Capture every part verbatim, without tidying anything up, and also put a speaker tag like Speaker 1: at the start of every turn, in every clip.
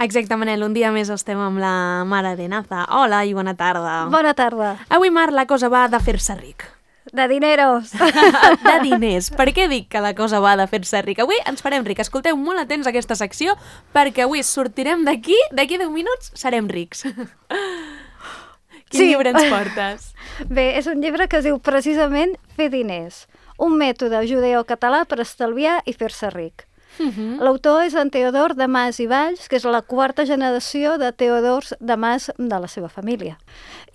Speaker 1: Exacte, Manel, un dia més estem amb la Mar Arenaza. Hola i bona tarda.
Speaker 2: Bona tarda.
Speaker 1: Avui, Mar, la cosa va de fer-se ric.
Speaker 2: De dineros.
Speaker 1: De diners. Per què dic que la cosa va de fer-se ric? Avui ens farem ric. Escolteu molt atents a aquesta secció perquè avui sortirem d'aquí, d'aquí deu minuts serem rics. Quin
Speaker 2: Sí.
Speaker 1: llibre ens portes?
Speaker 2: Bé, és un llibre que es diu precisament Fer diners, un mètode judeocatalà per estalviar i fer-se ric.
Speaker 1: Uh-huh.
Speaker 2: L'autor és en Teodor de Mas i Valls, que és la quarta generació de Teodors de Mas de la seva família.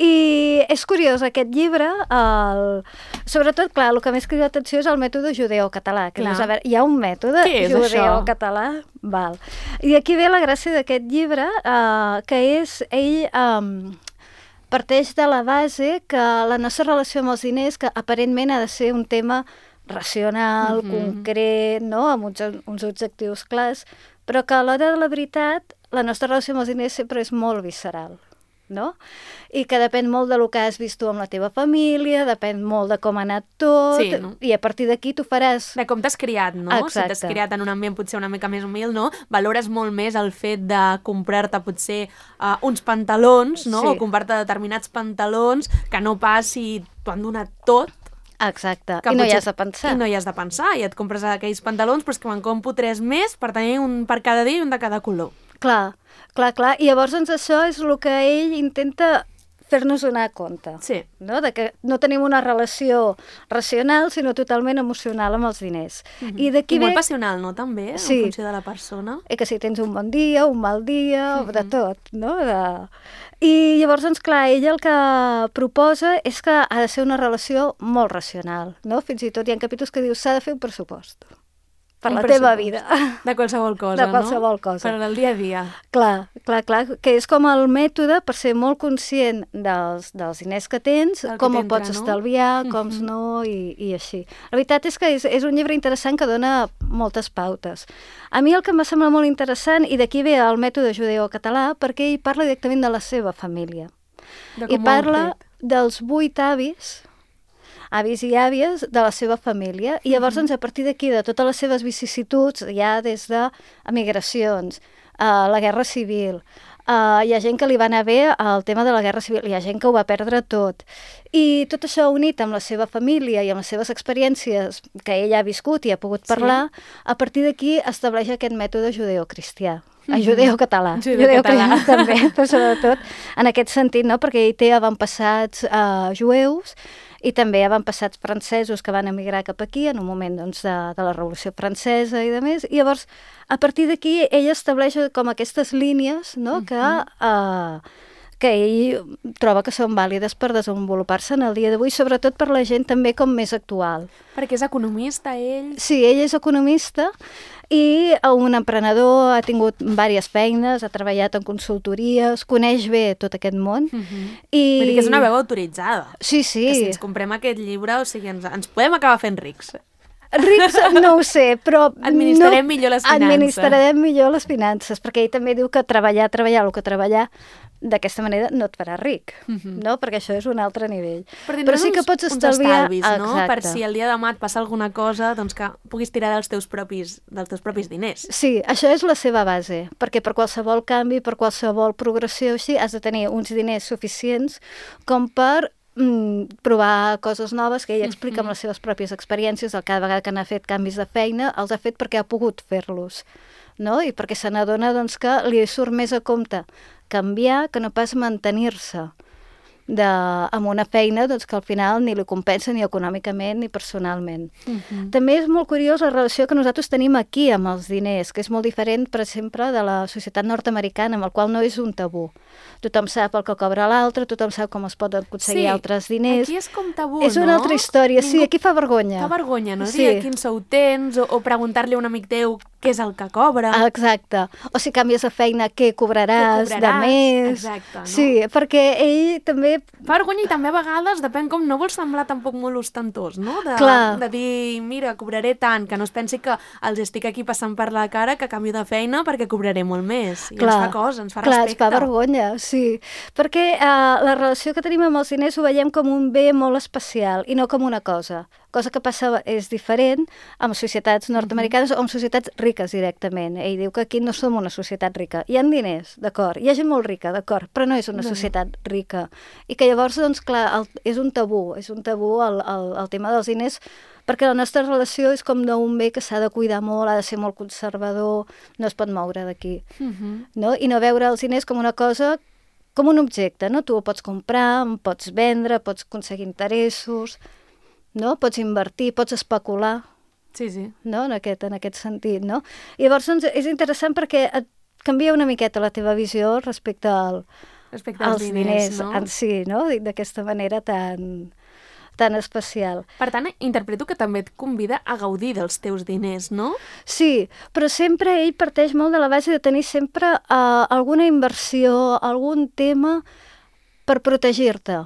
Speaker 2: I és curiós, aquest llibre, el... sobretot, clar, el que més crida l'atenció és el mètode judeocatalà. Que dius, a veure, hi ha un mètode
Speaker 1: Què és
Speaker 2: judeocatalà? Val. I aquí ve la gràcia d'aquest llibre, eh, que és ell... Eh, parteix de la base que la nostra relació amb els diners, que aparentment ha de ser un tema racional,
Speaker 1: Mhm.
Speaker 2: concret, no? Amb uns, uns objectius clars, però que a l'hora de la veritat la nostra relació amb els diners sempre és molt visceral, no? I que depèn molt de lo que has vist tu amb la teva família, depèn molt de com ha anat tot,
Speaker 1: Sí, no?
Speaker 2: i a partir d'aquí tu faràs...
Speaker 1: De com t'has criat, no?
Speaker 2: Exacte.
Speaker 1: Si t'has criat en un ambient potser una mica més humil, no? Valores molt més el fet de comprar-te potser uh, uns pantalons, no?
Speaker 2: Sí.
Speaker 1: O comprar-te determinats pantalons que no pas si t'ho han donat tot.
Speaker 2: Exacte,
Speaker 1: Que
Speaker 2: i no hi
Speaker 1: potser-
Speaker 2: has de pensar.
Speaker 1: I no hi has de pensar, i et compres aquells pantalons però és que me'n compro tres més per tenir un per cada dia i un de cada color.
Speaker 2: Clar, clar, clar. I llavors, doncs, això és el que ell intenta fer-nos donar compte.
Speaker 1: Sí.
Speaker 2: No? De que no tenim una relació racional, sinó totalment emocional amb els diners.
Speaker 1: Mhm.
Speaker 2: I d'aquí
Speaker 1: I molt
Speaker 2: ve...
Speaker 1: passional, no? També,
Speaker 2: Sí.
Speaker 1: en funció de la persona.
Speaker 2: I que si tens un bon dia, un mal dia,
Speaker 1: Mhm.
Speaker 2: de tot, no? De... I llavors, doncs, clar, ell el que proposa és que ha de ser una relació molt racional, no? Fins i tot hi ha capítols que diu s'ha de fer un pressupost per
Speaker 1: Un
Speaker 2: la teva
Speaker 1: pressupost.
Speaker 2: vida.
Speaker 1: De qualsevol cosa,
Speaker 2: De qualsevol
Speaker 1: no?
Speaker 2: cosa.
Speaker 1: Per al dia a dia.
Speaker 2: Clar, clar, clar, que és com el mètode per ser molt conscient dels, dels diners que tens,
Speaker 1: Del que
Speaker 2: com ho
Speaker 1: t'entra,
Speaker 2: pots
Speaker 1: no?
Speaker 2: estalviar, com
Speaker 1: Mhm.
Speaker 2: no, i, i així. La veritat és que és, és un llibre interessant que dona moltes pautes. A mi el que em sembla molt interessant, i d'aquí ve el mètode judeocatalà, perquè ell parla directament de la seva família.
Speaker 1: De
Speaker 2: I
Speaker 1: com ho han
Speaker 2: parla
Speaker 1: fet.
Speaker 2: dels vuit avis, avis i àvies de la seva família, i llavors, doncs, a partir d'aquí, de totes les seves vicissituds, ja des de emigracions, uh, la guerra civil, uh, hi ha gent que li va anar bé el tema de la guerra civil, hi ha gent que ho va perdre tot, i tot això unit amb la seva família i amb les seves experiències que ell ha viscut i ha pogut parlar, sí. A partir d'aquí estableix aquest mètode judeocristià. Mm-hmm. Judeo-català.
Speaker 1: Judeo-català.
Speaker 2: També, però sobretot en aquest sentit, no? Perquè ell té avantpassats uh, jueus i també avantpassats francesos que van emigrar cap aquí en un moment, doncs, de, de la Revolució Francesa i de més. I llavors, a partir d'aquí, ell estableix com aquestes línies, no? que, uh, que ell troba que són vàlides per desenvolupar-se en el dia d'avui, sobretot per la gent també com més actual.
Speaker 1: Perquè és economista, ell.
Speaker 2: Sí, ell és economista i un emprenedor, ha tingut diverses feines, ha treballat en consultories, coneix bé tot aquest món.
Speaker 1: Uh-huh.
Speaker 2: I...
Speaker 1: Vull dir que és una veu autoritzada.
Speaker 2: Sí, sí.
Speaker 1: Que si ens comprem aquest llibre, o sigui, ens, ens podem acabar fent rics.
Speaker 2: Rics no ho sé, però...
Speaker 1: Administrarem
Speaker 2: no...
Speaker 1: millor les finances.
Speaker 2: Administrarem millor les finances, perquè ell també diu que treballar, treballar, el que treballar, d'aquesta manera no et farà ric,
Speaker 1: Uh-huh.
Speaker 2: no? Perquè això és un altre nivell.
Speaker 1: Però,
Speaker 2: Però sí que pots
Speaker 1: uns
Speaker 2: estalviar...
Speaker 1: estalvis, no?
Speaker 2: Exacte.
Speaker 1: Per si el dia de demà et passa alguna cosa, doncs que puguis tirar dels teus propis, dels teus propis diners.
Speaker 2: Sí, això és la seva base, perquè per qualsevol canvi, per qualsevol progressió així, has de tenir uns diners suficients com per mm, provar coses noves que ell explica amb les seves pròpies experiències, el cada vegada que n'ha fet canvis de feina, els ha fet perquè ha pogut fer-los, no? I perquè se n'adona, doncs, que li surt més a compte canviar que no pas mantenir-se de, amb una feina, doncs, que al final ni li compensa ni econòmicament ni personalment.
Speaker 1: Uh-huh.
Speaker 2: També és molt curiós la relació que nosaltres tenim aquí amb els diners, que és molt diferent, per exemple, de la societat nord-americana, amb el qual no és un tabú. Tothom sap el que cobra l'altre, tothom sap com es poden aconseguir
Speaker 1: Sí,
Speaker 2: altres diners.
Speaker 1: aquí és com tabú,
Speaker 2: És una
Speaker 1: no?
Speaker 2: altra història, sí,
Speaker 1: Ningú-
Speaker 2: aquí fa vergonya.
Speaker 1: Fa vergonya, no?
Speaker 2: Sí.
Speaker 1: Dir quin sou tens, o, o preguntar-li a un amic teu què és el que cobra.
Speaker 2: Exacte. O si canvies de feina, què cobraràs,
Speaker 1: Què cobraràs,
Speaker 2: de més.
Speaker 1: exacte, no?
Speaker 2: Sí, perquè ell també...
Speaker 1: Fa vergonya i també a vegades depèn com no vols semblar tampoc molt ostentós, no? De,
Speaker 2: Clar.
Speaker 1: de dir, mira, cobraré tant, que no es pensi que els estic aquí passant per la cara, que canvio de feina perquè cobraré molt més. I ens fa cosa, ens fa
Speaker 2: clar,
Speaker 1: respecte.
Speaker 2: ens fa vergonya, sí. Perquè uh, la relació que tenim amb els diners ho veiem com un bé molt especial i no com una cosa. Cosa que passa és diferent amb societats nord-americanes o amb societats riques directament. Ell diu que aquí no som una societat rica. Hi ha diners, d'acord, hi ha gent molt rica, d'acord, però no és una societat rica. I que llavors, doncs, clar, el, és un tabú, és un tabú el, el, el tema dels diners, perquè la nostra relació és com d'un bé que s'ha de cuidar molt, ha de ser molt conservador, no es pot moure d'aquí.
Speaker 1: Uh-huh.
Speaker 2: No? I no veure els diners com una cosa, com un objecte, no? Tu ho pots comprar, pots vendre, pots aconseguir interessos, no? Pots invertir, pots especular,
Speaker 1: Sí, sí.
Speaker 2: no? en, aquest, en aquest sentit. No? I llavors doncs, és interessant perquè et canvia una miqueta la teva visió respecte al,
Speaker 1: Respecte als,
Speaker 2: als
Speaker 1: diners,
Speaker 2: diners
Speaker 1: no?
Speaker 2: en si, no? D'aquesta manera tan, tan especial.
Speaker 1: Per tant, interpreto que també et convida a gaudir dels teus diners, no?
Speaker 2: Sí, però sempre ell parteix molt de la base de tenir sempre uh, alguna inversió, algun tema per protegir-te,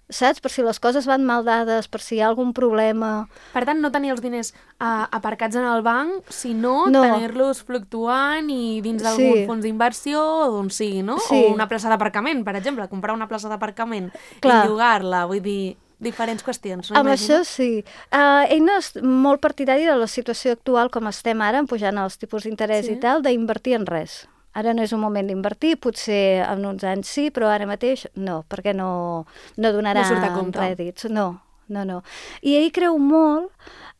Speaker 2: saps? Per si les coses van mal dades, per si hi ha algun problema.
Speaker 1: Per tant, no tenir els diners uh, aparcats en el banc, sinó
Speaker 2: No.
Speaker 1: tenir-los fluctuant i dins d'algun
Speaker 2: Sí.
Speaker 1: fons d'inversió o d'on sigui, no?
Speaker 2: Sí.
Speaker 1: O una plaça d'aparcament, per exemple, comprar una plaça d'aparcament
Speaker 2: Clar.
Speaker 1: i llogar-la, vull dir, diferents qüestions. No?
Speaker 2: Amb
Speaker 1: Imagino?
Speaker 2: això sí. Uh, ell no és molt partidari de la situació actual com estem ara, pujant els tipus d'interès
Speaker 1: Sí.
Speaker 2: i tal, d'invertir en res. Ara no és un moment d'invertir, potser en uns anys sí, però ara mateix no, perquè no, no donarà
Speaker 1: No surt a compte.
Speaker 2: rèdits. No, no, no. I ell creu molt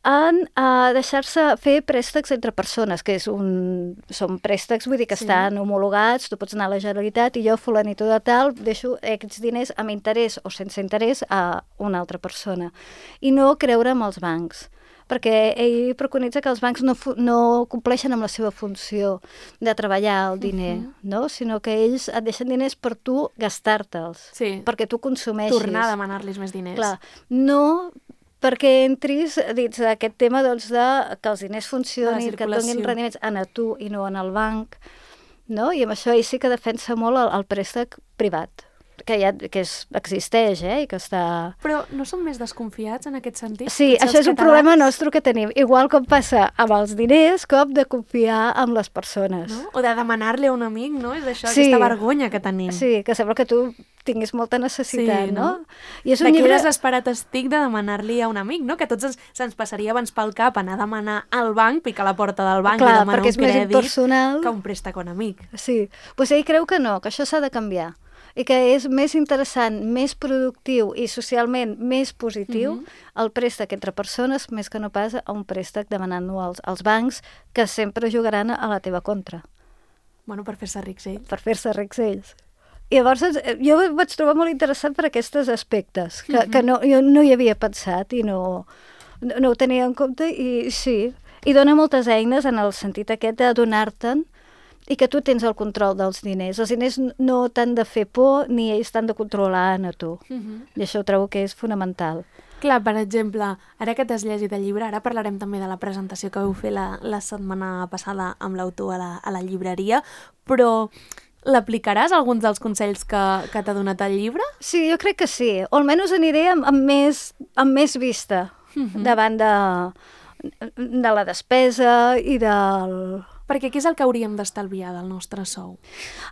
Speaker 2: en uh, deixar-se fer préstecs entre persones, que és un... són préstecs, vull dir que
Speaker 1: Sí.
Speaker 2: estan homologats, tu pots anar a la Generalitat i jo, fulanito de tal, deixo aquests diners amb interès o sense interès a una altra persona. I no creure en els bancs, perquè ell preconitza que els bancs no, fu- no compleixen amb la seva funció de treballar el diner, uh -huh. no? Sinó que ells et deixen diners per tu gastar-te'ls,
Speaker 1: Sí.
Speaker 2: perquè tu consumeixis.
Speaker 1: Tornar a demanar-los més diners.
Speaker 2: Clar, no perquè entris dins d'aquest tema doncs, de que els diners funcionin, que et donin
Speaker 1: circulació.
Speaker 2: rendiments en a tu i no en el banc, no? I amb això ell sí que defensa molt el, el préstec privat, que, ja, que és, existeix, eh? I que està...
Speaker 1: Però no som més desconfiats en aquest sentit?
Speaker 2: Sí,
Speaker 1: Potser
Speaker 2: això
Speaker 1: els
Speaker 2: és un
Speaker 1: catalans,
Speaker 2: problema nostre que tenim, igual com passa amb els diners, com de confiar en les persones.
Speaker 1: No? O de demanar-li a un amic, no? És això,
Speaker 2: Sí.
Speaker 1: aquesta vergonya que tenim.
Speaker 2: Sí, que sembla que tu tinguis molta necessitat,
Speaker 1: Sí,
Speaker 2: no?
Speaker 1: no?
Speaker 2: I és un
Speaker 1: De
Speaker 2: llibre...
Speaker 1: que desesperat estic de demanar-li a un amic, no? Que a tots ens, se'ns passaria abans pel cap anar a demanar al banc, picar a la porta del banc
Speaker 2: Clar,
Speaker 1: i demanar
Speaker 2: perquè
Speaker 1: un
Speaker 2: és més
Speaker 1: crèdit
Speaker 2: impersonal.
Speaker 1: que un préstec a un amic.
Speaker 2: Sí, doncs ell creu que no, que això s'ha de canviar i que és més interessant, més productiu i socialment més positiu
Speaker 1: Mhm.
Speaker 2: el préstec entre persones més que no pas a un préstec demanant-lo als, als bancs que sempre jugaran a la teva contra
Speaker 1: Bueno, per fer-se rics ells.
Speaker 2: per fer-se rics ells. I llavors eh, jo ho vaig trobar molt interessant per aquests aspectes que,
Speaker 1: Mhm.
Speaker 2: que no, jo no hi havia pensat i no, no, no ho tenia en compte i sí, i dona moltes eines en el sentit aquest de donar-te'n i que tu tens el control dels diners. Els diners no t'han de fer por ni ells t'han de controlar a tu.
Speaker 1: Mhm.
Speaker 2: I això ho trobo que és fonamental.
Speaker 1: Clar, per exemple, ara que t'has llegit el llibre, ara parlarem també de la presentació que vau fer la, la setmana passada amb l'autor a, la, a la llibreria, però l'aplicaràs alguns dels consells que, que t'ha donat el llibre?
Speaker 2: Sí, jo crec que sí. O almenys aniré amb, amb, més, amb més vista
Speaker 1: Mhm.
Speaker 2: davant de, de la despesa i del...
Speaker 1: Perquè què és el que hauríem d'estalviar del nostre sou?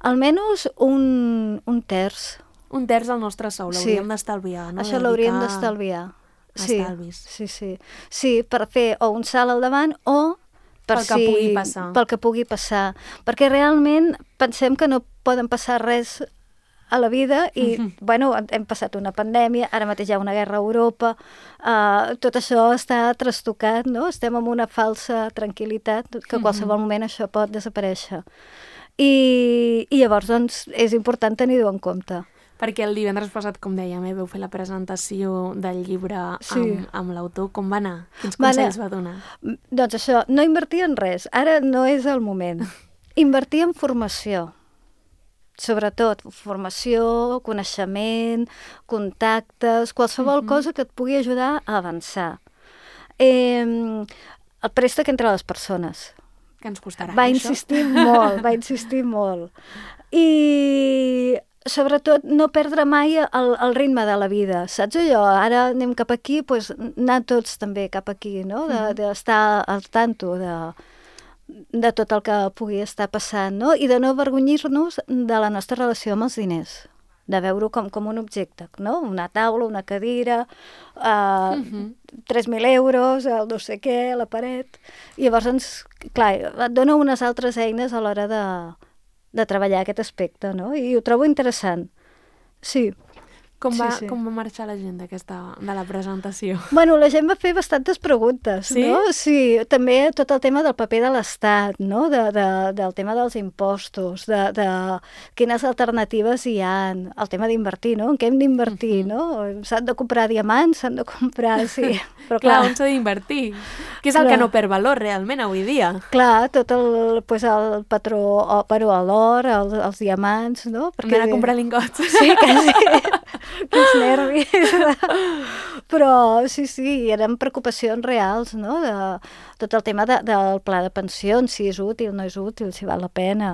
Speaker 2: Almenys un, un terç.
Speaker 1: Un terç del nostre sou
Speaker 2: Sí.
Speaker 1: l'hauríem d'estalviar, no?
Speaker 2: Això
Speaker 1: Dedicar
Speaker 2: l'hauríem d'estalviar.
Speaker 1: a
Speaker 2: Sí,
Speaker 1: estalvis.
Speaker 2: sí, sí. Sí, per fer o un salt al davant o per
Speaker 1: Pel que
Speaker 2: si,
Speaker 1: pugui passar.
Speaker 2: pel que pugui passar. Perquè realment pensem que no poden passar res a la vida i,
Speaker 1: Mhm.
Speaker 2: bueno, hem passat una pandèmia, ara mateix hi ha una guerra a Europa, uh, tot això està trastocat, no? Estem en una falsa tranquil·litat, que a qualsevol moment això pot desaparèixer. I, i llavors, doncs, és important tenir-ho en compte.
Speaker 1: Perquè el divendres passat, com dèiem, eh, vau fer la presentació del llibre amb,
Speaker 2: Sí.
Speaker 1: amb l'autor. Com va anar? Quins
Speaker 2: Va anar-
Speaker 1: consells va donar?
Speaker 2: Mm, Doncs això, no invertir en res, ara no és el moment. Invertir en formació, sobretot formació, coneixement, contactes, qualsevol
Speaker 1: Mhm.
Speaker 2: cosa que et pugui ajudar a avançar. Eh, el préstec entre les persones.
Speaker 1: Que ens costarà,
Speaker 2: Va
Speaker 1: això?
Speaker 2: insistir molt, va insistir molt. I sobretot no perdre mai el, el ritme de la vida, saps allò? Ara anem cap aquí, doncs anar tots també cap aquí, no? De- D'estar al tanto de, de tot el que pugui estar passant, no? I de no avergonyir-nos de la nostra relació amb els diners. de veure-ho com, com un objecte, no? Una taula, una cadira, uh, uh-huh. tres mil euros, el no sé què, la paret... I llavors, ens, clar, et dona unes altres eines a l'hora de, de treballar aquest aspecte, no? I ho trobo interessant. Sí.
Speaker 1: Com va,
Speaker 2: sí, sí.
Speaker 1: com va marxar la gent d'aquesta, de la presentació?
Speaker 2: Bueno, la gent va fer bastantes preguntes,
Speaker 1: sí?
Speaker 2: no? Sí, també tot el tema del paper de l'Estat, no? De, de, del tema dels impostos, de, de quines alternatives hi ha, el tema d'invertir, no? En què hem d'invertir, uh-huh. no? S'han de comprar diamants, s'han de comprar... Sí, però clar...
Speaker 1: clar, on s'ha d'invertir? Què és el clar. que no perd valor realment avui dia?
Speaker 2: Clar, tot el, pues, el patró, o, però l'or, el, els diamants, no?
Speaker 1: Perquè... Anar a comprar lingots.
Speaker 2: Sí, quasi... Quins nervis. Però sí, sí, eren preocupacions reals, no? De tot el tema de, del pla de pensions, si és útil, no és útil, si val la pena.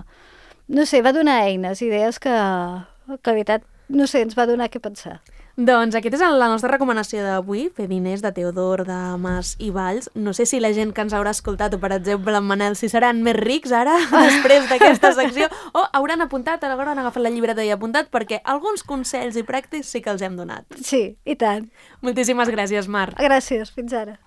Speaker 2: No sé, va donar eines, idees que, que la veritat, no sé, ens va donar què pensar.
Speaker 1: Doncs aquesta és la nostra recomanació d'avui, Fer diners, de Teodor, de Mas i Valls. No sé si la gent que ens haurà escoltat, o per exemple en Manel, si seran més rics ara, després d'aquesta secció, o hauran apuntat, a l'hora han agafat la llibreta i apuntat, perquè alguns consells i pràctics sí que els hem donat.
Speaker 2: Sí, i tant.
Speaker 1: Moltíssimes gràcies, Mar.
Speaker 2: Gràcies, fins ara.